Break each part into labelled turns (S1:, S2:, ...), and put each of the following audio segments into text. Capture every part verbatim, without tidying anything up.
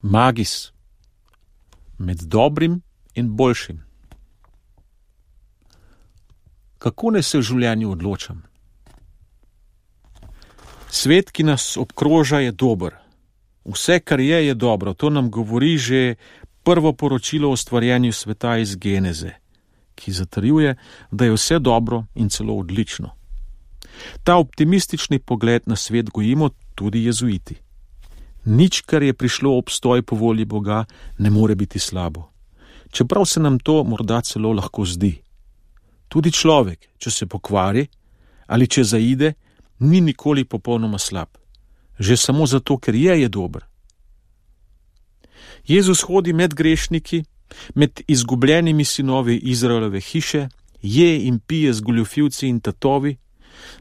S1: Magis, med dobrim in boljšim. Kako naj se v življenju odločam? Svet, ki nas obkroža, je dober. Vse, kar je, je dobro. To nam govori že prvo poročilo o stvarjenju sveta iz Geneze, ki zatrjuje, da je vse dobro in celo odlično. Ta optimistični pogled na svet gojimo tudi jezuiti. Nič, kar je prišlo obstoj po volji Boga, ne more biti slabo. Čeprav se nam to morda celo lahko zdi. Tudi človek, če se pokvari ali če zaide, ni nikoli popolnoma slab. Že samo zato, ker je, je dober. Jezus hodi med grešniki, med izgubljenimi sinovi Izraelove hiše, je in pije z goljufivci in tatovi,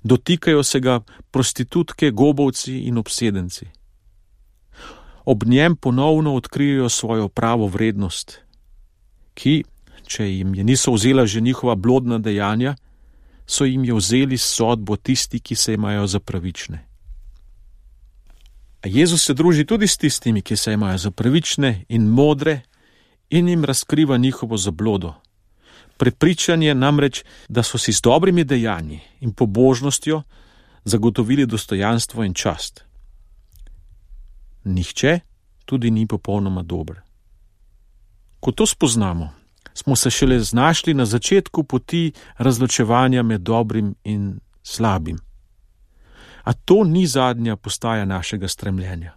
S1: dotikajo se ga prostitutke, gobovci in obsedenci. Ob njem ponovno odkrijejo svojo pravo vrednost, ki, če jim je niso vzela že njihova blodna dejanja, so jim je vzeli sodbo tisti, ki se imajo za pravične. A Jezus se druži tudi s tistimi, ki se imajo za pravične in modre, in jim razkriva njihovo zablodo. Prepričanje namreč, da so si s dobrimi dejanji in pobožnostjo zagotovili dostojanstvo in čast. Nihče tudi ni popolnoma dober. Ko to spoznamo, smo se šele znašli na začetku poti razločevanja med dobrim in slabim. A to ni zadnja postaja našega stremljenja.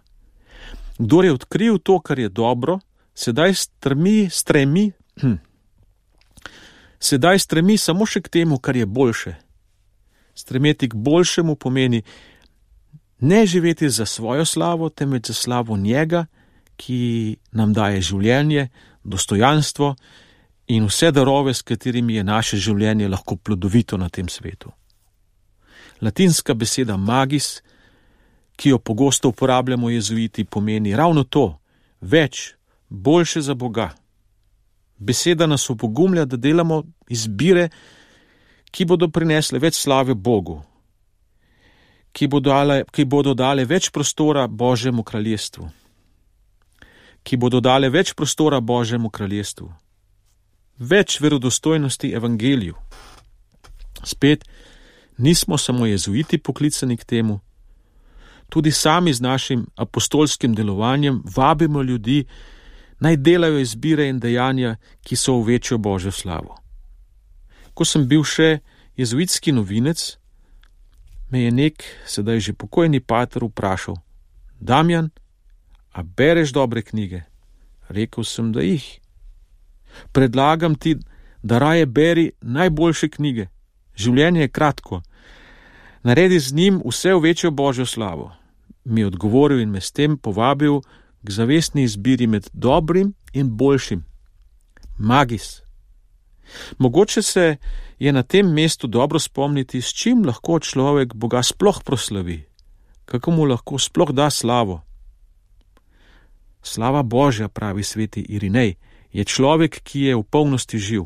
S1: Kdor je odkril to, kar je dobro, sedaj stremi, stremi, hm, sedaj stremi samo še k temu, kar je boljše. Stremeti k boljšemu pomeni ne živeti za svojo slavo, temveč za slavo njega, ki nam daje življenje, dostojanstvo in vse darove, s katerimi je naše življenje lahko plodovito na tem svetu. Latinska beseda magis, ki jo pogosto uporabljamo jezuiti, pomeni ravno to, več, boljše za Boga. Beseda nas opogumlja, da delamo izbire, ki bodo prinesle več slave Bogu, ki bodo dale, ki bodo dale več prostora Božjemu kraljestvu, ki bodo dale več prostora Božjemu kraljestvu, več verodostojnosti evangeliju. Spet, nismo samo jezuiti poklicani k temu, tudi sami z našim apostolskim delovanjem vabimo ljudi, naj delajo izbire in dejanja, ki so v večjo Božjo slavo. Ko sem bil še jezuitski novinec, me je nek, sedaj že pokojni pater vprašal: Damjan, a bereš dobre knjige? Rekel sem, da jih. Predlagam ti, da raje beri najboljše knjige. Življenje je kratko. Naredi z njim vse v večjo Božjo slavo. Mi je odgovoril in me s tem povabil k zavestni izbiri med dobrim in boljšim. Magis. Mogoče se je na tem mestu dobro spomniti, s čim lahko človek Boga sploh proslavi, kako mu lahko sploh da slavo. Slava Božja, pravi sveti Irinej, je človek, ki je v polnosti živ.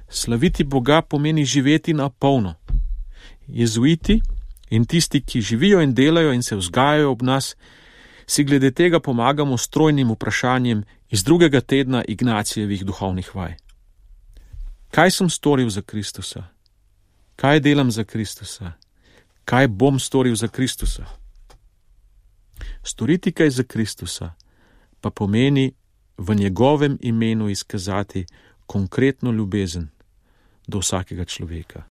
S1: Slaviti Boga pomeni živeti na polno. Jezuiti in tisti, ki živijo in delajo in se vzgajajo ob nas, si glede tega pomagamo s trojnim vprašanjem iz drugega tedna Ignacijevih duhovnih vaj. Kaj sem storil za Kristusa? Kaj delam za Kristusa? Kaj bom storil za Kristusa? Storiti kaj za Kristusa pa pomeni v njegovem imenu izkazati konkretno ljubezen do vsakega človeka.